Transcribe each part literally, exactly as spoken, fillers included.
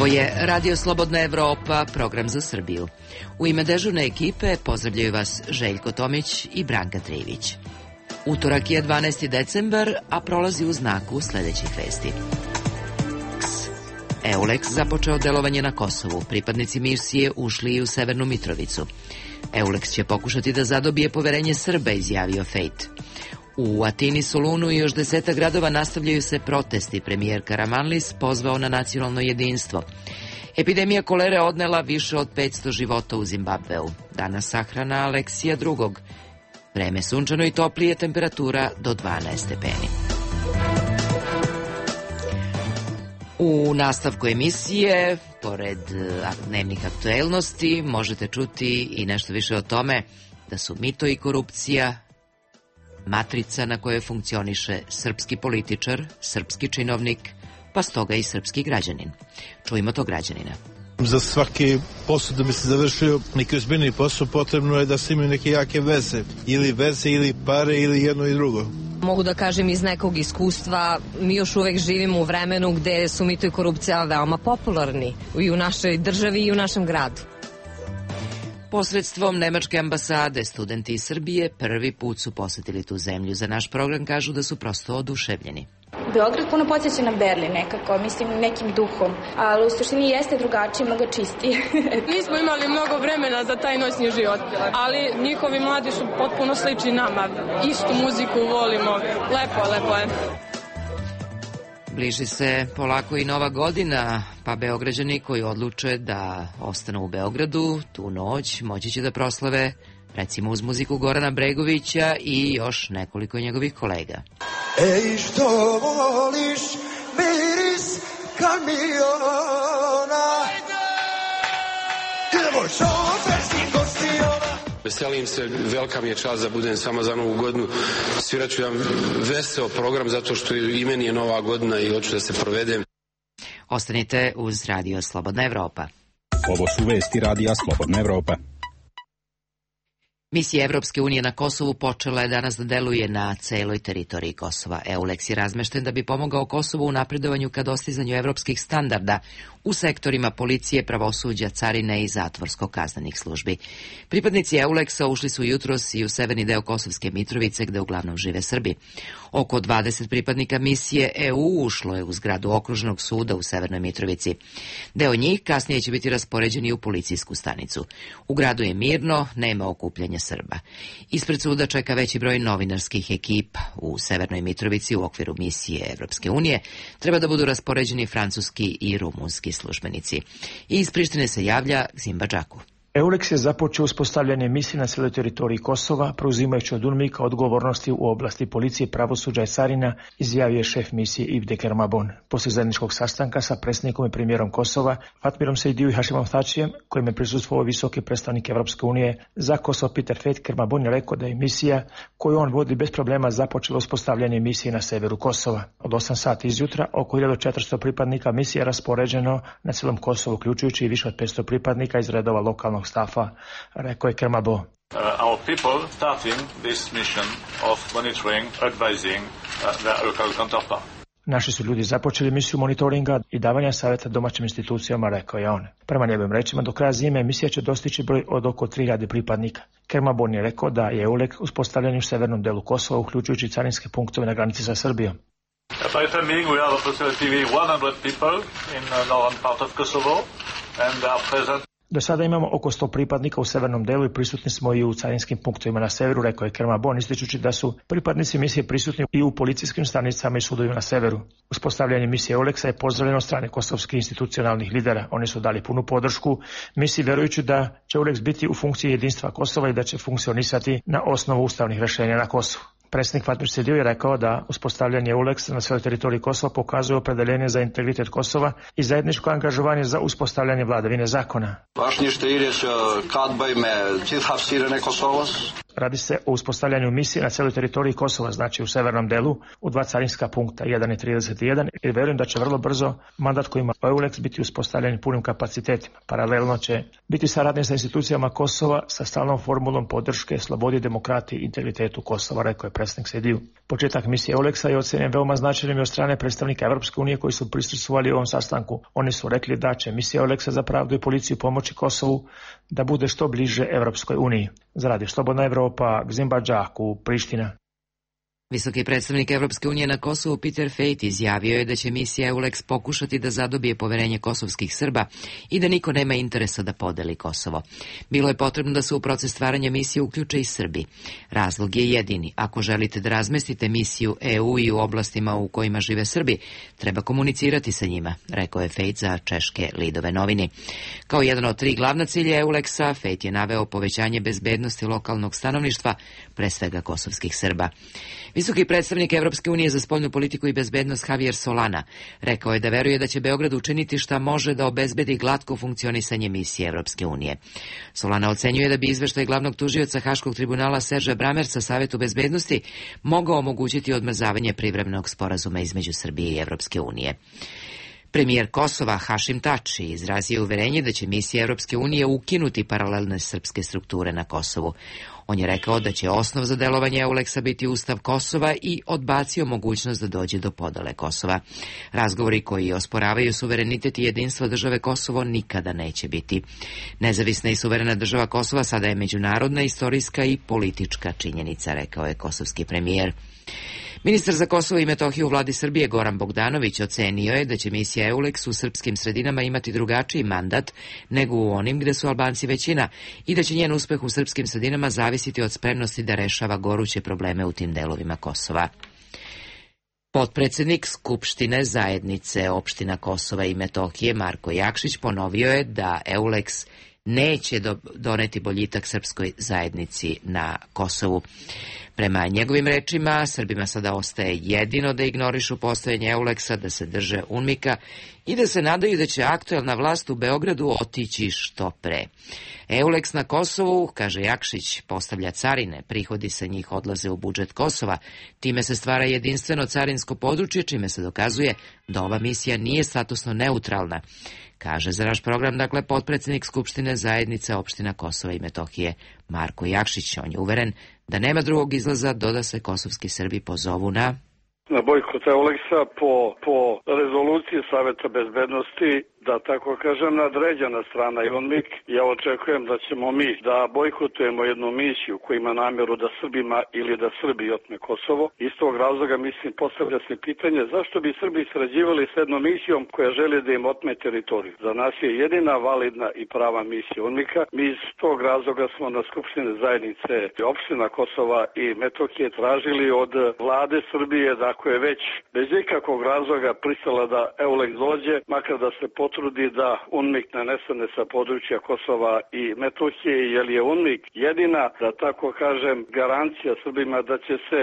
je Radio Slobodna Evropa, program za Srbiju. U ime dežurne ekipe pozdravljaju vas Željko Tomić i Branka Trivić. Utorak je dvanaesti decembar, a prolazi u znaku sledećih vesti. Eulex započeo delovanje na Kosovu. Pripadnici misije ušli i u Severnu Mitrovicu. Eulex će pokušati da zadobije poverenje Srba, izjavio Fejt. U Atini, Solunu i još deseta gradova nastavljaju se protesti. Premijer Karamanlis pozvao na nacionalno jedinstvo. Epidemija kolere odnela više od petsto života u Zimbabveu. Danas sahrana Aleksija drugog. Vreme sunčano i toplije, temperatura do dvanaest stepeni. U nastavku emisije, pored dnevnih aktuelnosti, možete čuti i nešto više o tome da su mito i korupcija matrica na kojoj funkcioniše srpski političar, srpski činovnik, pa stoga i srpski građanin. Čujmo to građanina. Za svaki posao da bi se završio neki ozbiljni posao potrebno je da se imaju neke jake veze. Ili veze, ili pare, ili jedno i drugo. Mogu da kažem iz nekog iskustva, mi još uvek živimo u vremenu gde su mito i korupcija veoma popularni i u našoj državi i u našem gradu. Posredstvom Nemačke ambasade, studenti iz Srbije prvi put su posetili tu zemlju. Za naš program kažu da su prosto oduševljeni. Beograd puno podsjeća na Berlin nekako, mislim nekim duhom, ali u suštini jeste drugačije, mnogo čistije. Nismo imali mnogo vremena za taj noćni život, ali njihovi mladi su potpuno slični nama. Istu muziku volimo, lepo, lepo je. Bliži se polako i Nova godina, pa Beograđani koji odluče da ostanu u Beogradu tu noć moći će da proslave recimo uz muziku Gorana Bregovića i još nekoliko njegovih kolega. Ej, što voliš miris kamiona? Idemo šoferski gostiona. Veselim se, velika mi je čast da budem samo za Novu godinu. Svirat ću vam veseo program zato što i meni je Nova godina i hoću da se provedem. Ostanite uz Radio Slobodna Evropa. Ovo su vesti Radija Slobodna Evropa. Misija Evropske unije na Kosovu počela je danas da deluje na celoj teritoriji Kosova. Eulex je razmešten da bi pomogao Kosovu u napredovanju ka dostizanju evropskih standarda u sektorima policije, pravosuđa, carine i zatvorsko-kaznenih službi. Pripadnici Eulexa ušli su jutros i u severni deo Kosovske Mitrovice, gde uglavnom žive Srbi. Oko dvadeset pripadnika misije E U ušlo je u zgradu okružnog suda u Severnoj Mitrovici. Deo njih kasnije će biti raspoređeni u policijsku stanicu. U gradu je mirno, nema okupljanja Srba. Ispred suda čeka veći broj novinarskih ekipa. U Severnoj Mitrovici u okviru misije Evropske unije treba da budu raspoređeni francuski i rumunski službenici. I iz Prištine se javlja Zimba Džaku. Eulex je započeo uspostavljanje misije na cijeloj teritoriji Kosova, preuzimajući od UNMIK odgovornosti u oblasti policije, pravosuđa i carina, izjavio je šef misije Ibde Kermabon. Poslije zajedničkog sastanka sa predsjednikom i premijerom Kosova, Fatmirom Sejdiju i Hašimom Thačijem, kojim je prisustvovao visoki predstavnik Evropske unije za Kosovo Peter Fejt, Kermabon je rekao da je misija koju on vodi bez problema započela uspostavljanje misije na severu Kosova. Od osam sati izjutra oko hiljadu četiristo pripadnika misije je raspoređeno na cijelom Kosovu, uključujući i više od petsto pripadnika iz redova lokalnog stafa, rekao je Kermabo. Uh, our people starting this mission of monitoring, advising uh, the local counterpart. Naši su ljudi započeli misiju monitoringa i davanja savjeta domaćim institucijama, rekao je on. Prema njegovim rečima, do kraja zime misija će dostići broj od oko tri hiljade pripadnika. Kermabon je rekao da je Eulex uspostavljen u severnom delu Kosova, uključujući carinske punktove na granici sa Srbijom. By timing, we have approximately one hundred people in the northern part of Kosovo and they are present. Do sada imamo oko sto pripadnika u severnom delu i prisutni smo i u carinskim punktovima na severu, rekao je Kermabon, ističući da su pripadnici misije prisutni i u policijskim stanicama i sudovima na severu. Uspostavljanje misije Eulexa je pozdravljeno od strane kosovskih institucionalnih lidera. Oni su dali punu podršku misiji, vjerujući da će Eulex biti u funkciji jedinstva Kosova i da će funkcionisati na osnovu ustavnih rješenja na Kosovu. Predsjednik Fatmir Sejdiju je rekao da uspostavljanje Eulexa na svojoj teritoriji Kosova pokazuje opredeljenje za integritet Kosova i zajedničko angažovanje za uspostavljanje vladavine zakona. Radi se o uspostavljanju misije na cijeloj teritoriji Kosova, znači u severnom delu, u dva carinska punkta, jedan i trideset jedan, i verujem da će vrlo brzo mandat koji ima EULEX biti uspostavljen punim kapacitetima. Paralelno će biti saradnje sa institucijama Kosova sa stalnom formulom podrške slobodi, demokratiji i integritetu Kosova, rekao je predsjednik Sediju. Početak misije EULEX-a je ocenjen veoma značajnim od strane predstavnika Evropske unije koji su prisustvovali ovom sastanku. Oni su rekli da će misija EULEX-a za pravdu i policiju pomoći Kosovu da bude što bliže Evropskoj uniji. Za Radio Slobodna Evropa, Gzimba Džaku, Priština. Visoki predstavnik Evropske unije na Kosovu Peter Fejt izjavio je da će misija EULEX pokušati da zadobije poverenje kosovskih Srba i da niko nema interesa da podeli Kosovo. Bilo je potrebno da se u proces stvaranja misije uključe i Srbi. Razlog je jedini. Ako želite da razmestite misiju E U i u oblastima u kojima žive Srbi, treba komunicirati sa njima, rekao je Fejt za češke Lidove novini. Kao jedan od tri glavna cilja EULEX-a, Fejt je naveo povećanje bezbednosti lokalnog stanovništva, pre svega kosovskih Srba. Visoki predstavnik Evropske unije za spoljnu politiku i bezbednost Javier Solana rekao je da veruje da će Beograd učiniti šta može da obezbedi glatko funkcionisanje misije Evropske unije. Solana ocenjuje da bi izveštaj glavnog tužioca Haškog tribunala Serža Bramerca Savetu bezbednosti mogao omogućiti odmrzavanje privremenog sporazuma između Srbije i Evropske unije. Premijer Kosova Hašim Tači izrazio uverenje da će misija Evropske unije ukinuti paralelne srpske strukture na Kosovu. On je rekao da će osnov za delovanje EULEX-a biti Ustav Kosova i odbacio mogućnost da dođe do podele Kosova. Razgovori koji osporavaju suverenitet i jedinstvo države Kosovo nikada neće biti. Nezavisna i suverena država Kosova sada je međunarodna, istorijska i politička činjenica, rekao je kosovski premijer. Ministar za Kosovo i Metohiju u vladi Srbije Goran Bogdanović ocenio je da će misija EULEX u srpskim sredinama imati drugačiji mandat nego u onim gde su Albanci većina i da će njen uspeh u srpskim sredinama zavisiti od spremnosti da rešava goruće probleme u tim delovima Kosova. Potpredsednik Skupštine zajednice opština Kosova i Metohije Marko Jakšić ponovio je da EULEX neće do, doneti boljitak srpskoj zajednici na Kosovu. Prema njegovim rečima, Srbima sada ostaje jedino da ignorišu postojanje EULEX-a, da se drže UNMIK-a i da se nadaju da će aktuelna vlast u Beogradu otići što pre. EULEX na Kosovu, kaže Jakšić, postavlja carine, prihodi sa njih odlaze u budžet Kosova, time se stvara jedinstveno carinsko područje, čime se dokazuje da ova misija nije statusno neutralna. Kaže za naš program, dakle, potpredsednik Skupštine zajednice opština Kosova i Metohije Marko Jakšić. On je uveren da nema drugog izlaza do da se kosovski Srbi pozovu na na bojkot EULEX-a po, po rezoluciji Saveta bezbednosti, da tako kažem, nadređena strana i UNMIK. Ja očekujem da ćemo mi da bojkotujemo jednu misiju koja ima namjeru da Srbima ili da Srbi otme Kosovo. Iz tog razloga, mislim, postavlja se pitanje zašto bi Srbi sarađivali s jednom misijom koja želi da im otme teritoriju. Za nas je jedina validna i prava misija UNMIK-a. Mi iz tog razloga smo na Skupštine zajednice opština Kosova i Metohije tražili od vlade Srbije da ako je već bez ikakvog razloga pristala da EULEX dođe, makar da se potrudi da UNMIK ne nestane sa područja Kosova i Metohije, jer je UNMIK jedina, da tako kažem, garancija Srbima da će se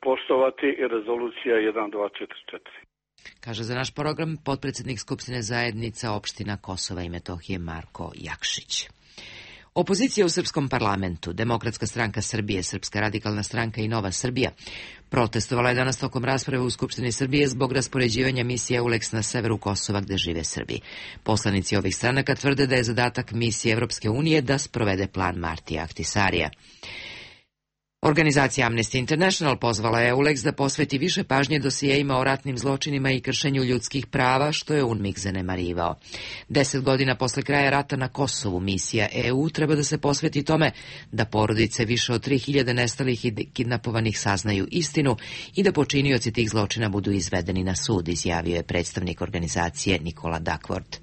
poštovati i rezolucija jedan dva četiri četiri. Kaže za naš program potpredsednik Skupštine zajednica opština Kosova i Metohije Marko Jakšić. Opozicija u srpskom parlamentu, Demokratska stranka Srbije, Srpska radikalna stranka i Nova Srbija, protestovala je danas tokom rasprave u Skupštini Srbije zbog raspoređivanja misije EULEX na severu Kosova gde žive Srbi. Poslanici ovih stranaka tvrde da je zadatak misije Evropske unije da sprovede plan Martija Ahtisarija. Organizacija Amnesty International pozvala je EULEX da posveti više pažnje dosijejima o ratnim zločinima i kršenju ljudskih prava, što je UNMIK zanemarivao. Deset godina posle kraja rata na Kosovu misija E U treba da se posveti tome da porodice više od tri hiljade nestalih i kidnapovanih saznaju istinu i da počinioci tih zločina budu izvedeni na sud, izjavio je predstavnik organizacije Nikola Duckworth.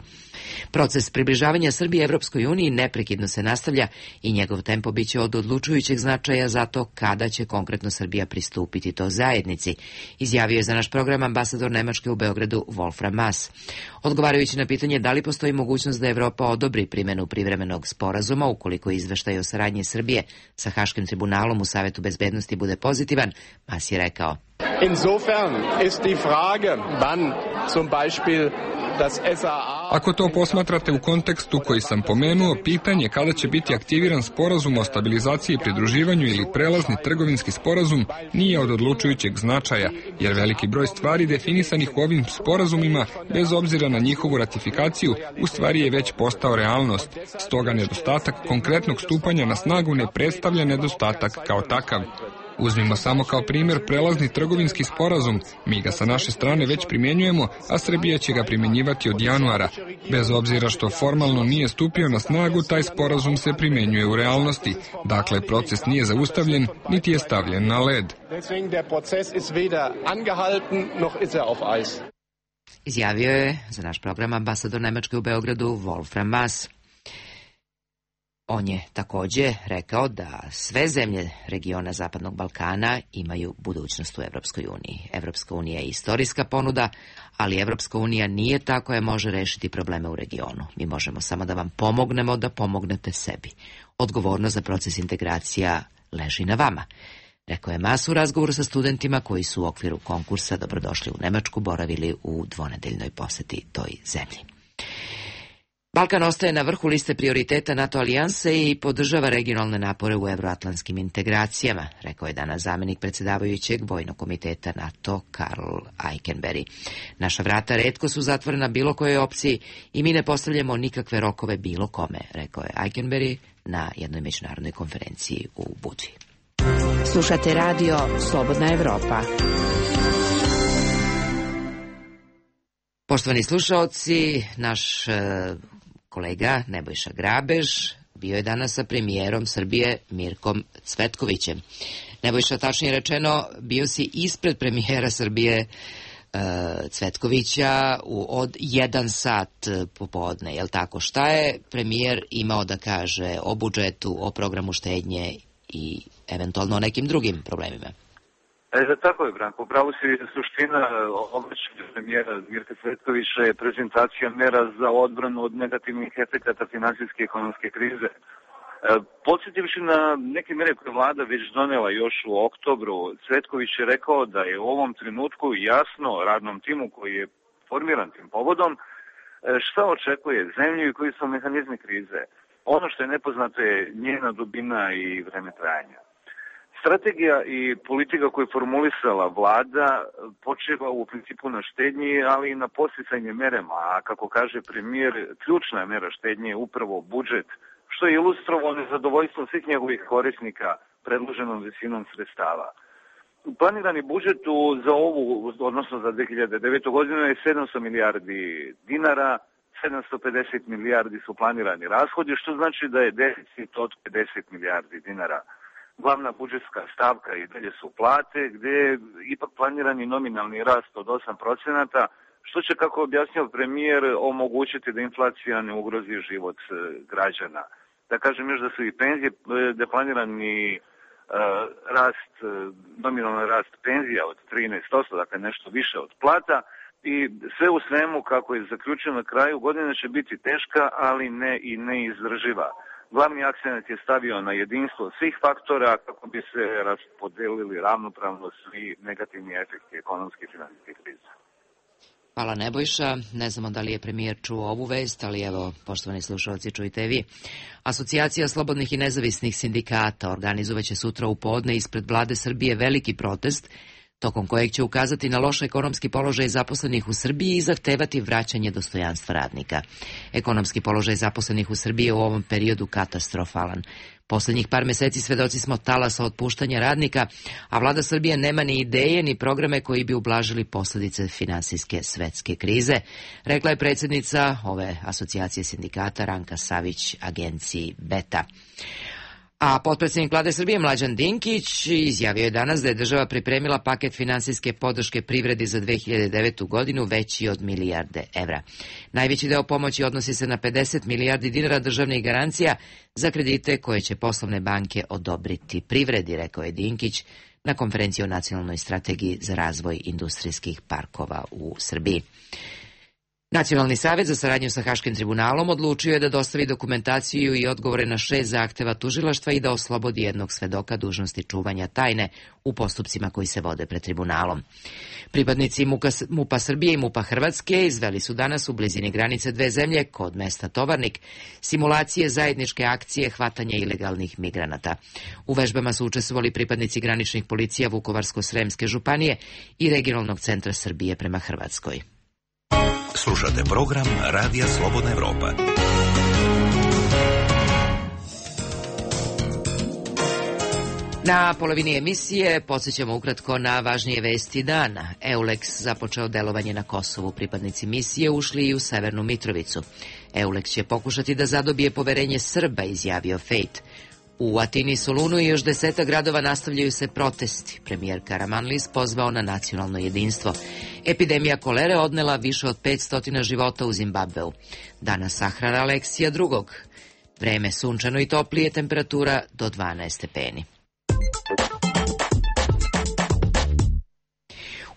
Proces približavanja Srbije Evropskoj uniji neprekidno se nastavlja i njegov tempo biće od odlučujućeg značaja za to kada će konkretno Srbija pristupiti to zajednici, izjavio je za naš program ambasador Nemačke u Beogradu Wolfram Maas. Odgovarajući na pitanje da li postoji mogućnost da Evropa odobri primenu privremenog sporazuma ukoliko izveštaj o saradnji Srbije sa Haškim tribunalom u Savetu bezbednosti bude pozitivan, Maas je rekao: Insofern ist die Frage, wann zum Beispiel das S A A... Ako to posmatrate u kontekstu koji sam pomenuo, pitanje kada će biti aktiviran sporazum o stabilizaciji i pridruživanju ili prelazni trgovinski sporazum nije od odlučujućeg značaja, jer veliki broj stvari definisanih u ovim sporazumima, bez obzira na njihovu ratifikaciju, u stvari je već postao realnost. Stoga nedostatak konkretnog stupanja na snagu ne predstavlja nedostatak kao takav. Uzmimo samo kao primjer prelazni trgovinski sporazum. Mi ga sa naše strane već primjenjujemo, a Srbija će ga primjenjivati od januara. Bez obzira što formalno nije stupio na snagu, taj sporazum se primjenjuje u realnosti. Dakle, proces nije zaustavljen, niti je stavljen na led. Izjavio je za naš program ambasador Nemačke u Beogradu Wolfram Maas. On je također rekao da sve zemlje regiona Zapadnog Balkana imaju budućnost u Evropskoj uniji. Evropska unija je istorijska ponuda, ali Evropska unija nije ta koja može rešiti probleme u regionu. Mi možemo samo da vam pomognemo da pomognete sebi. Odgovornost za proces integracija leži na vama. Rekao je Maas u razgovoru sa studentima koji su u okviru konkursa Dobrodošli u Nemačku boravili u dvonedeljnoj poseti toj zemlji. Balkan ostaje na vrhu liste prioriteta NATO alijanse i podržava regionalne napore u evroatlantskim integracijama, rekao je danas zamjenik predsjedavajućeg Vojnog komiteta NATO Karl Eikenberry. Naša vrata retko su zatvorena bilo kojoj opciji i mi ne postavljamo nikakve rokove bilo kome, rekao je Eikenberry na jednoj međunarodnoj konferenciji u Budvi. Slušate radio Slobodna Evropa. Poštovani slušaoci, naš kolega Nebojša Grabež bio je danas sa premijerom Srbije Mirkom Cvetkovićem. Nebojša, tačnije rečeno, bio si ispred premijera Srbije Cvetkovića u, od jedan sat popodne, jel tako? Šta je premijer imao da kaže o budžetu, o programu štednje i eventualno o nekim drugim problemima? E, tako je, Branko. Upravo si suština obraćanja premijera Mirka Cvetkovića je prezentacija mera za odbranu od negativnih efekata finansijske i ekonomske krize. E, podsjetivši na neke mere koje vlada već donela još u oktobru, Cvetković je rekao da je u ovom trenutku jasno radnom timu koji je formiran tim povodom šta očekuje zemlju i koji su mehanizmi krize. Ono što je nepoznato je njena dubina i vreme trajanja. Strategija i politika koju je formulisala vlada počeva u principu na štednji, ali i na podsticanje merama, a kako kaže premijer, ključna mera štednje je upravo budžet, što je ilustrovalo nezadovoljstvo svih njegovih korisnika predloženom visinom sredstava. Planirani budžet za ovu, odnosno za dve hiljade devetu godinu je sedamsto milijardi dinara, sedamsto pedeset milijardi su planirani rashodi, što znači da je deficit od pedeset milijardi dinara. Glavna budžetska stavka i dalje su plate, gdje je ipak planirani nominalni rast od osam procenata, što će, kako objasnio premijer, omogućiti da inflacija ne ugrozi život građana. Da kažem još da su i penzije, da je planirani uh, rast, nominalni rast penzija od trinaest posto, dakle nešto više od plata, i sve u svemu, kako je zaključeno na kraju, godina će biti teška, ali ne i neizdrživa. Glavni akcent je stavio na jedinstvo svih faktora kako bi se raspodelili ravnopravno svi negativni efekti ekonomske i finansijske krize. Hvala Nebojša. Ne znamo da li je premijer čuo ovu vest, ali evo, poštovani slušalci, čujte vi. Asocijacija slobodnih i nezavisnih sindikata organizovaće sutra u podne ispred vlade Srbije veliki protest, tokom kojeg će ukazati na loš ekonomski položaj zaposlenih u Srbiji i zahtevati vraćanje dostojanstva radnika. Ekonomski položaj zaposlenih u Srbiji je u ovom periodu katastrofalan. Poslednjih par meseci svedoci smo talasa otpuštanja radnika, a vlada Srbije nema ni ideje ni programe koji bi ublažili posledice finansijske svetske krize, rekla je predsjednica ove asocijacije sindikata Ranka Savić agenciji Beta. A potpredsjednik vlade Srbije Mlađan Dinkić izjavio je danas da je država pripremila paket finansijske podrške privredi za dve hiljade devetu godinu veći od milijarde evra. Najveći deo pomoći odnosi se na pedeset milijardi dinara državnih garancija za kredite koje će poslovne banke odobriti privredi, rekao je Dinkić na konferenciji o nacionalnoj strategiji za razvoj industrijskih parkova u Srbiji. Nacionalni savjet za saradnju sa Haškim tribunalom odlučio je da dostavi dokumentaciju i odgovore na šest zahteva tužilaštva i da oslobodi jednog svedoka dužnosti čuvanja tajne u postupcima koji se vode pred tribunalom. Pripadnici MUP-a Srbije i MUP-a Hrvatske izveli su danas u blizini granice dve zemlje, kod mesta Tovarnik, simulacije zajedničke akcije hvatanja ilegalnih migranata. U vežbama su učestvovali pripadnici graničnih policija Vukovarsko-Sremske županije i regionalnog centra Srbije prema Hrvatskoj. Slušate program Radija Slobodna Evropa. Na polovini emisije podsjećamo ukratko na važnije vesti dana. EULEX započeo delovanje na Kosovu. Pripadnici misije ušli i u Severnu Mitrovicu. EULEX će pokušati da zadobije poverenje Srba, izjavio Fejt. U Atini, Solunu i još deseta gradova nastavljaju se protesti. Premijer Karamanlis pozvao na nacionalno jedinstvo. Epidemija kolere odnela više od petsto života u Zimbabveu. Danas sahrana Aleksija drugog. Vreme sunčano i toplije, temperatura do dvanaest stepeni.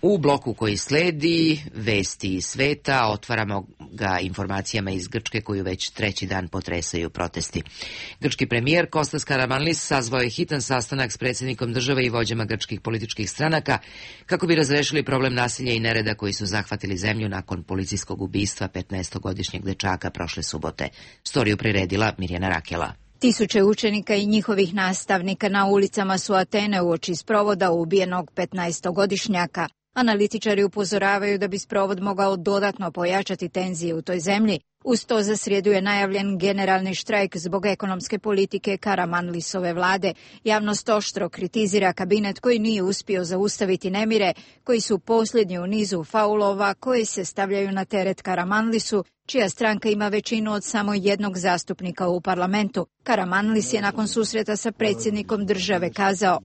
U bloku koji sledi, vesti iz sveta, otvaramo ga informacijama iz Grčke koju već treći dan potresaju protesti. Grčki premijer Kostas Karamanlis sazvao je hitan sastanak s predsjednikom države i vođama grčkih političkih stranaka kako bi razrešili problem nasilja i nereda koji su zahvatili zemlju nakon policijskog ubistva petnaestogodišnjeg dečaka prošle subote. Storiju priredila Mirjana Rakela. Tisuće učenika i njihovih nastavnika na ulicama su Atene uoči sprovoda ubijenog petnaestogodišnjaka. Analitičari upozoravaju da bi sprovod mogao dodatno pojačati tenzije u toj zemlji. Uz to za srijedu je najavljen generalni štrajk zbog ekonomske politike Karamanlisove vlade. Javnost oštro kritizira kabinet koji nije uspio zaustaviti nemire, koji su posljednji u nizu faulova koji se stavljaju na teret Karamanlisu, čija stranka ima većinu od samo jednog zastupnika u parlamentu. Karamanlis je nakon susreta sa predsjednikom države kazao: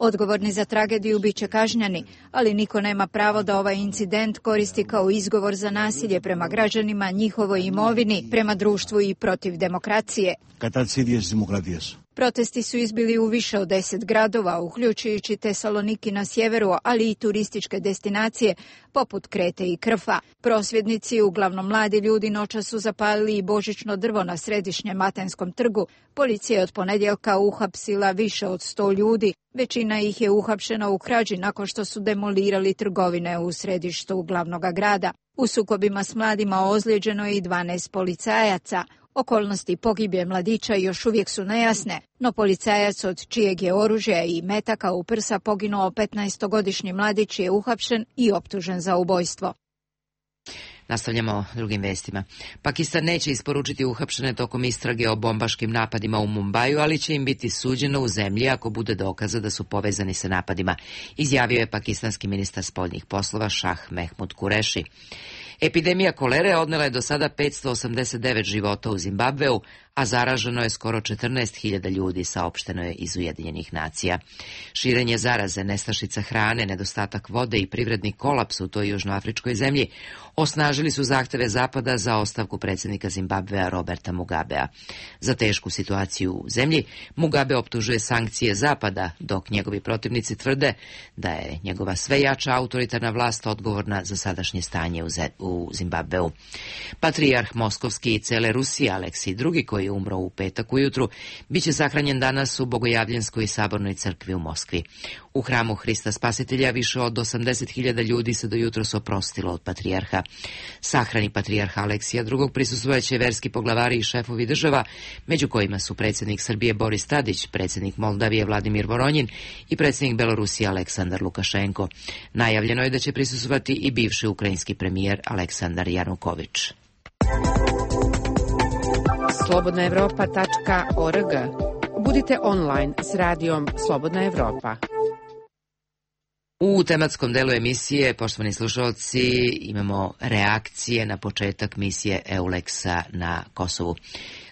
odgovorni za tragediju bit će kažnjeni, ali niko nema pravo da ovaj incident koristi kao izgovor za nasilje prema građanima, njihovoj imovini, prema društvu i protiv demokracije. Protesti su izbili u više od deset gradova, uključujući Tesaloniki na sjeveru, ali i turističke destinacije poput Krete i Krfa. Prosvjednici, uglavnom mladi ljudi, noćas su zapalili i božićno drvo na središnjem Atenskom trgu. Policija je od ponedjeljka uhapsila više od sto ljudi. Većina ih je uhapšena u krađi nakon što su demolirali trgovine u središtu glavnog grada. U sukobima s mladima ozlijeđeno je i dvanaest policajaca. Okolnosti pogibije mladića još uvijek su nejasne, no policajac od čijeg je oružja i metaka u prsa poginuo petnaestogodišnji mladić je uhapšen i optužen za ubojstvo. Nastavljamo drugim vestima. Pakistan neće isporučiti uhapšene tokom istrage o bombaškim napadima u Mumbaju, ali će im biti suđeno u zemlji ako bude dokaza da su povezani sa napadima, izjavio je pakistanski ministar spoljnih poslova Šah Mehmud Kureši. Epidemija kolere odnela je do sada petsto osamdeset devet života u Zimbabveu, a zaraženo je skoro četrnaest hiljada ljudi, saopšteno je iz Ujedinjenih nacija. Širenje zaraze, nestašica hrane, nedostatak vode i privredni kolaps u toj južnoafričkoj zemlji osnažili su zahteve Zapada za ostavku predsjednika Zimbabvea Roberta Mugabea. Za tešku situaciju u zemlji Mugabe optužuje sankcije Zapada, dok njegovi protivnici tvrde da je njegova sve jača autoritarna vlast odgovorna za sadašnje stanje u Zimbabveu. Patrijarh Moskovski i cele Rusije Aleksij drugi, koji je umro u petak ujutru, bit će sahranjen danas u Bogojavljenskoj sabornoj crkvi u Moskvi. U hramu Hrista Spasitelja više od osamdeset hiljada ljudi se do jutros oprostilo od patrijarha. Sahrani patrijarha Aleksija drugog prisustvojaće verski poglavari i šefovi država, među kojima su predsjednik Srbije Boris Tadić, predsjednik Moldavije Vladimir Voronjin i predsjednik Belorusije Aleksandar Lukašenko. Najavljeno je da će prisustvovati i bivši ukrajinski premijer Aleksandar Januković. slobodna evropa tačka org. Budite online s radijom Slobodna Evropa. U tematskom delu emisije, poštovani slušalci, imamo reakcije na početak misije EULEX-a na Kosovu.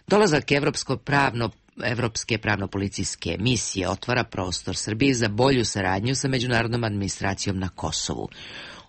Dolazak Evropsko pravno Evropske pravno-policijske misije otvara prostor Srbiji za bolju saradnju sa međunarodnom administracijom na Kosovu.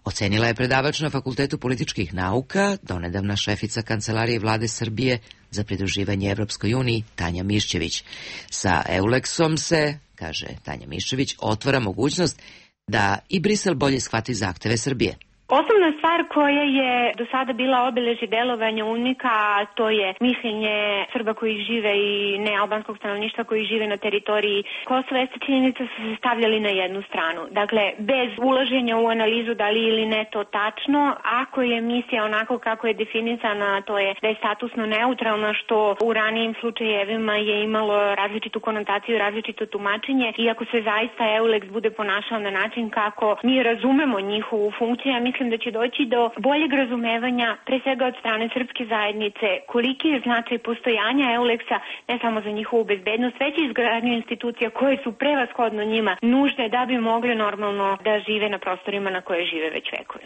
Ocenila je predavač na Fakultetu političkih nauka, donedavna šefica Kancelarije vlade Srbije za pridruživanje Evropskoj uniji, Tanja Miščević. Sa EULEX-om se, kaže Tanja Miščević, otvara mogućnost da i Brisel bolje shvati zahteve Srbije. Osnovna stvar koja je do sada bila obeležje delovanja UNMIK-a, to je mišljenje Srba koji žive i nealbanskog stanovništva koji žive na teritoriji Kosova, jeste činjenica su se stavljali na jednu stranu. Dakle, bez ulaženja u analizu da li ili ne to tačno, ako je misija onako kako je definisana, to je da je statusno neutralna, što u ranijim slučajevima je imalo različitu konotaciju, različito tumačenje, i ako se zaista EULEX bude ponašao na način kako mi razumemo njihovu funkciju, ja mislim da će doći do boljeg razumevanja, pre svega od strane srpske zajednice, koliki je značaj postojanja EULEX-a, ne samo za njihovu bezbednost, već i izgradnju institucija koje su prevashodno njima nužde da bi mogli normalno da žive na prostorima na koje žive već vekove.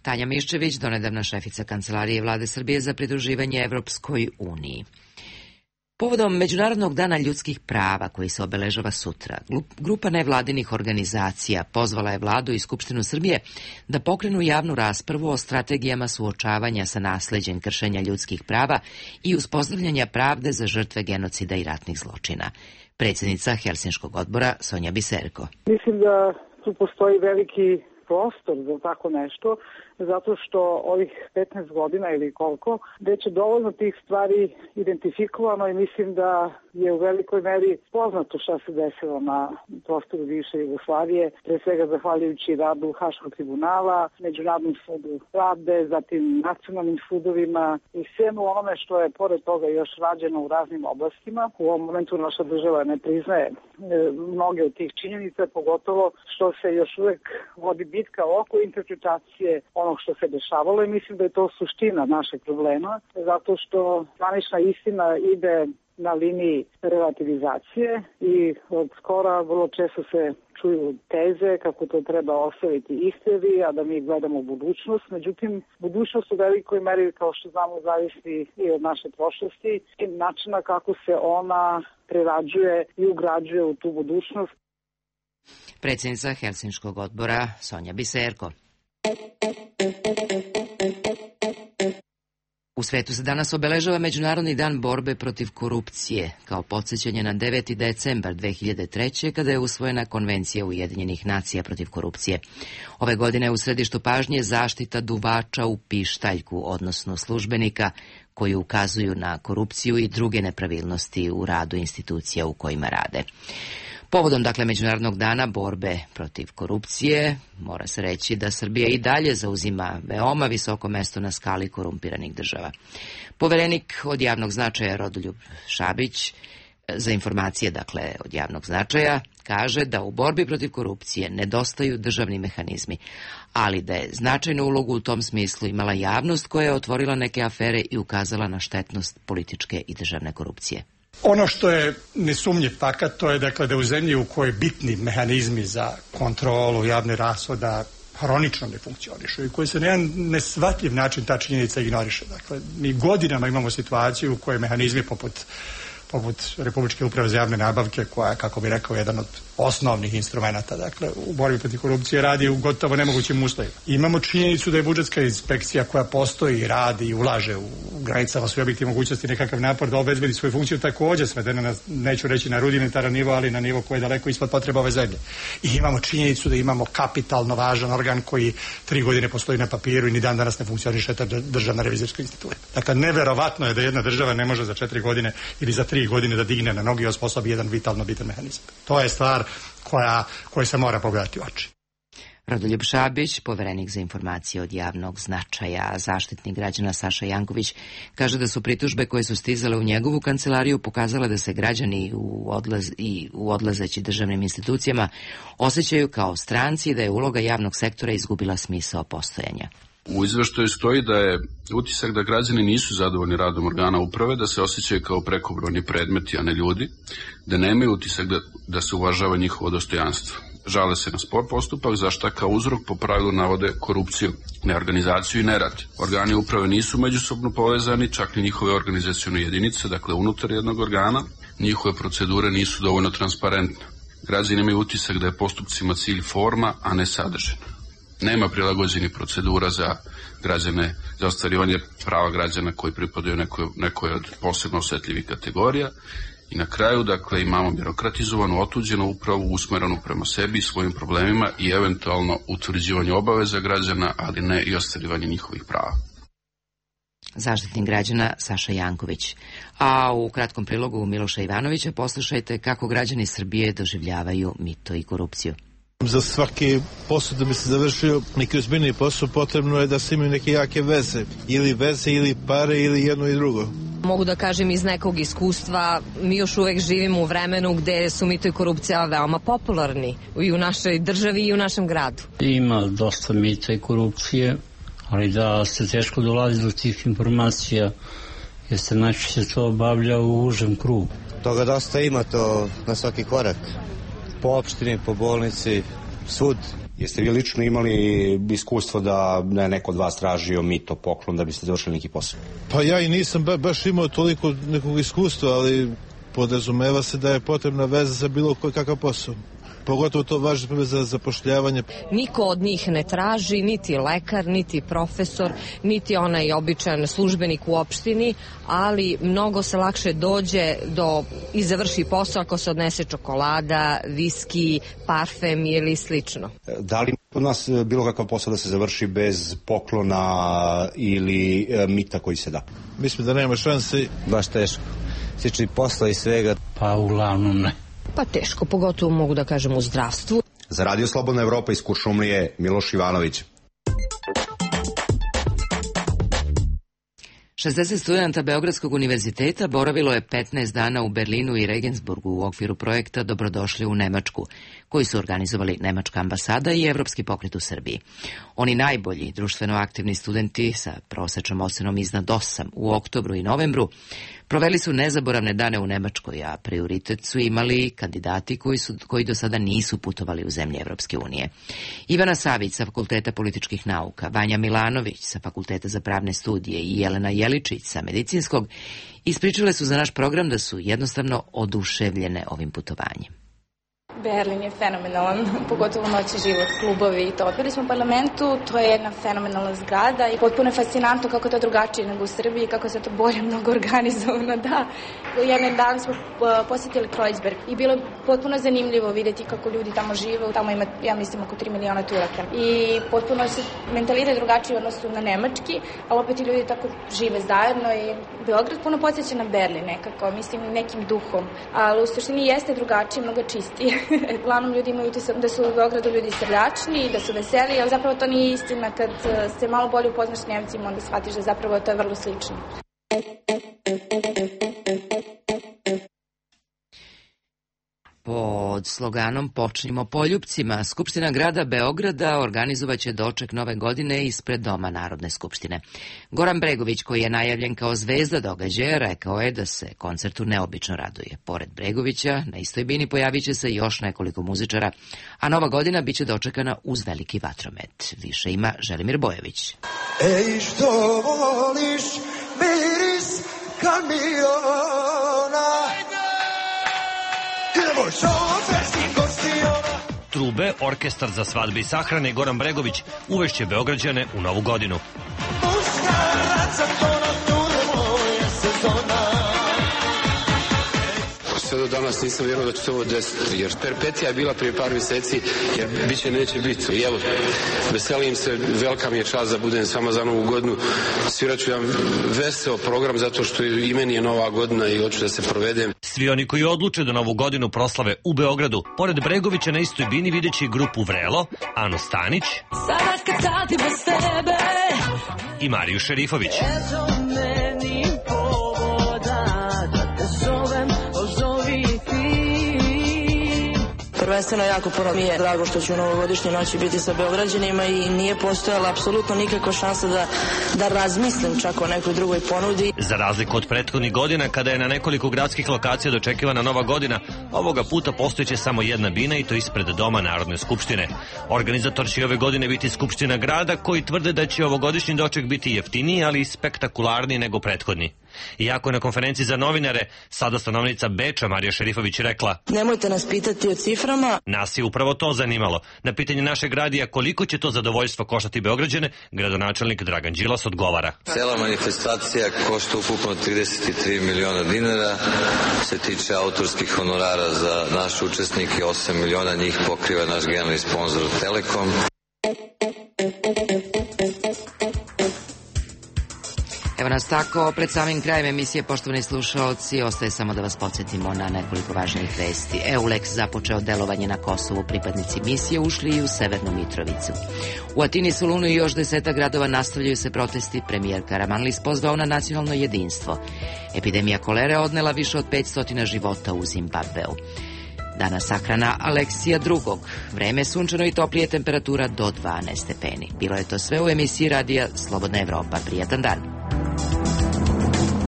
Tanja Miščević, donedavna šefica Kancelarije Vlade Srbije za pridruživanje Evropskoj uniji. Povodom Međunarodnog dana ljudskih prava koji se obeležava sutra, grupa nevladinih organizacija pozvala je Vladu i Skupštinu Srbije da pokrenu javnu raspravu o strategijama suočavanja sa nasleđem kršenja ljudskih prava i uspostavljanja pravde za žrtve genocida i ratnih zločina. Predsjednica Helsinškog odbora Sonja Biserko. Mislim da tu postoji veliki prostor za tako nešto, zato što ovih petnaest godina ili koliko, već je dovoljno tih stvari identifikovano i mislim da je u velikoj meri poznato šta se desilo na prostoru bivše Jugoslavije, pre svega zahvaljujući radu Haškog tribunala, Međunarodnom sudu pravde, zatim nacionalnim sudovima i svemu onome što je pored toga još rađeno u raznim oblastima. U ovom momentu naša država ne priznaje mnoge od tih činjenica, pogotovo što se još uvek vodi bitka oko interpretacije onog što se dešavalo i mislim da je to suština našeg problema, zato što zvanična istina ide na liniji relativizacije i od skora vrlo često se čuju teze kako to treba ostaviti istoriji, a da mi gledamo budućnost. Međutim, budućnost u velikoj meri, kao što znamo, zavisi i od naše prošlosti i načina kako se ona prerađuje i ugrađuje u tu budućnost. Predsjednica Helsinškog odbora Sonja Biserko. U svetu se danas obeležava Međunarodni dan borbe protiv korupcije, kao podsjećanje na deveti decembar dve hiljade treće. kada je usvojena Konvencija Ujedinjenih nacija protiv korupcije. Ove godine u središtu pažnje zaštita duvača u pištaljku, odnosno službenika koji ukazuju na korupciju i druge nepravilnosti u radu institucija u kojima rade. Povodom, dakle, Međunarodnog dana borbe protiv korupcije, mora se reći da Srbija i dalje zauzima veoma visoko mesto na skali korumpiranih država. Poverenik od javnog značaja Rodoljub Šabić za informacije, dakle, od javnog značaja, kaže da u borbi protiv korupcije nedostaju državni mehanizmi, ali da je značajnu ulogu u tom smislu imala javnost koja je otvorila neke afere i ukazala na štetnost političke i državne korupcije. Ono što je nesumnjiv fakat, to je dakle da u zemlji u kojoj bitni mehanizmi za kontrolu javnih rashoda hronično ne funkcionišu i koji se na jedan nesvatljiv način ta činjenica ignoriše. Dakle, mi godinama imamo situaciju u kojoj mehanizmi poput poput Republičke uprave za javne nabavke, koja je, kako bi rekao, jedan od osnovnih instrumenta, dakle, u borbi protiv korupcije radi u gotovo nemogućim uslovima. Imamo činjenicu da je budžetska inspekcija koja postoji, radi i ulaže u granicama svoje objektivne mogućnosti nekakav napor da obezbedi svoju funkciju, također svedena na, neću reći na rudimentaran nivo, ali na nivo koji je daleko ispod potreba ove zemlje. I imamo činjenicu da imamo kapitalno važan organ koji tri godine postoji na papiru i ni dan danas ne funkcioniše, ta državna revizorska institucija. Dakle, neverovatno je da jedna država ne može za četiri godine ili za tri godine da digne na nogi i osposobi jedan vitalno bitan mehanizam. To je stvar koja, koja se mora pogledati u oči. Rodoljub Šabić, poverenik za informacije od javnog značaja, zaštitnik građana Saša Janković, kaže da su pritužbe koje su stizale u njegovu kancelariju pokazale da se građani u odlaz, i u odlazeći državnim institucijama osjećaju kao stranci i da je uloga javnog sektora izgubila smisao postojanja. U izveštaju stoji da je utisak da građani nisu zadovoljni radom organa uprave, da se osjećaju kao prekobrojni predmeti, a ne ljudi, da nemaju utisak da, da se uvažava njihovo dostojanstvo. Žale se na spor postupak, za šta kao uzrok po pravilu navode korupciju, neorganizaciju i nerad. Organi uprave nisu međusobno povezani, čak ni njihove organizacione jedinice, dakle unutar jednog organa, njihove procedure nisu dovoljno transparentne. Građani imaju utisak da je postupcima cilj forma, a ne sadržina. Nema prilagođenih procedura za građane, za ostvarivanje prava građana koji pripadaju nekoj, nekoj od posebno osetljivih kategorija I na kraju, dakle, imamo birokratizovanu, otuđenu upravu usmerenu prema sebi i svojim problemima i eventualno utvrđivanje obaveza građana, ali ne i ostvarivanje njihovih prava. Zaštitnik građana Saša Janković. A u kratkom prilogu Miloša Ivanovića poslušajte kako građani Srbije doživljavaju mito i korupciju. Za svaki posao da bi se završio neki ozbiljniji posao potrebno je da se imaju neke jake veze. Ili veze, ili pare, ili jedno i drugo. Mogu da kažem iz nekog iskustva, mi još uvek živimo u vremenu gde su mito i korupcija veoma popularni i u našoj državi i u našem gradu. Ima dosta mita i korupcije, ali da se teško dolazi do tih informacija, jer se najčešće to obavlja u užem krugu. Toga dosta ima, to na svaki korak. Po opštini, po bolnici, svud. Jeste vi lično imali iskustvo da ne neko od vas tražio mito, poklon da biste završili neki posao? Pa ja i nisam ba, baš imao toliko nekog iskustva, ali podrazumeva se da je potrebna veza za bilo koji kakav posao. Pogotovo to važi za zapošljavanje. Niko od njih ne traži, niti lekar, niti profesor, niti onaj običan službenik u opštini, ali mnogo se lakše dođe do i završi posao ako se odnese čokolada, viski, parfem ili slično. Da li od nas bilo kakav posao da se završi bez poklona ili e, mita koji se da? Mislim da nema šanse. Baš teško. Slični posla i svega. Pa uglavnom ne. Pa teško, pogotovo mogu da kažem u zdravstvu. Za Radio Slobodna Evropa iz Kuršumlije, Miloš Ivanović. šezdeset studenta Beogradskog univerziteta boravilo je petnaest dana u Berlinu i Regensburgu u okviru projekta Dobrodošli u Nemačku, koji su organizovali Nemačka ambasada i Evropski pokret u Srbiji. Oni najbolji društveno aktivni studenti sa prosečnom ocenom iznad osam u oktobru i novembru proveli su nezaboravne dane u Nemačkoj, a prioritet su imali kandidati koji, su, koji do sada nisu putovali u zemlje Evropske unije. Ivana Savić sa Fakulteta političkih nauka, Vanja Milanović sa Fakulteta za pravne studije i Jelena Jeličić sa medicinskog ispričale su za naš program da su jednostavno oduševljene ovim putovanjem. Berlin je fenomenalan, pogotovo noći život, klubovi i to. Bili smo u parlamentu, to je jedna fenomenalna zgrada i potpuno je fascinantno kako to drugačije nego u Srbiji, kako se to bolje mnogo organizovano, da. Jedan dan smo posjetili Kreuzberg i bilo je potpuno zanimljivo vidjeti kako ljudi tamo žive, tamo ima, ja mislim, oko tri miliona Turaka. I potpuno se mentalitet drugačiji u odnosu na nemački, ali opet i ljudi tako žive zajedno i Beograd puno podsjeća na Berlin nekako, mislim, nekim duhom, ali u suštini jeste drugačije, mnogo čistije. Uglavnom ljudi imaju utisak da su u Beogradu ljudi srdačni, da su veseli, ali zapravo to nije istina. Kad se malo bolje upoznaš s Njemcima, onda shvatiš da zapravo to je vrlo slično. Pod sloganom Počnimo poljupcima, Skupština grada Beograda organizovaće doček nove godine ispred Doma Narodne skupštine. Goran Bregović, koji je najavljen kao zvezda događaja, rekao je da se koncertu neobično raduje. Pored Bregovića, na istoj bini pojavit će se još nekoliko muzičara, a nova godina biće dočekana uz veliki vatromet. Više ima Želimir Bojević. Ej, što voliš miris kamiona? Trube, orkestar za svadbe i sahrane Goran Bregović uvešće Beograđane u novu godinu. Sve do danas nisam vjerovao da će se ovo desiti, jer perpetija je bila prije par mjeseci, jer biće neće biti. I evo, veselim se, velika mi je čast da budem s vama za novu godinu. Svirat ću jedan veseo program, zato što i meni je nova godina i hoću da se provedem. Svi oni koji odluče da novu godinu proslave u Beogradu, pored Bregovića na istoj bini videći grupu Vrelo, Anu Stanić i Mariju Šerifović. Prvenstveno jako puno mi je drago što ću u novogodišnjoj noći biti sa Beograđanima i nije postojala apsolutno nikakva šansa da, da razmislim čak o nekoj drugoj ponudi. Za razliku od prethodnih godina kada je na nekoliko gradskih lokacija dočekivana nova godina, ovoga puta postojeće samo jedna bina i to ispred Doma Narodne skupštine. Organizator će ove godine biti Skupština grada, koji tvrde da će ovogodišnji doček biti jeftiniji, ali i spektakularniji nego prethodni. Iako je na konferenciji za novinare sada stanovnica Beča Marija Šerifović rekla: Nemojte nas pitati o ciframa. Nas je upravo to zanimalo. Na pitanje našeg radija koliko će to zadovoljstvo koštati Beograđane, gradonačelnik Dragan Đilas odgovara: Cela manifestacija košta ukupno trideset tri miliona dinara. Se tiče autorskih honorara za naše učesnike, osam miliona njih pokriva naš generalni sponsor Telekom. Evo nas tako, pred samim krajem emisije, poštovani slušaoci, ostaje samo da vas podsjetimo na nekoliko važnih vesti. EULEX započeo delovanje na Kosovu, pripadnici misije ušli i u Severnu Mitrovicu. U Atini, Solunu i još deseta gradova nastavljaju se protesti, premijer Karamanlis pozvao na nacionalno jedinstvo. Epidemija kolere odnela više od petsto života u Zimbabveu. Danas sahrana Aleksija drugog. Vreme sunčano i toplije, temperatura do dvanaest stepeni. Bilo je to sve u emisiji radija Slobodna Evropa. Prijatan dan.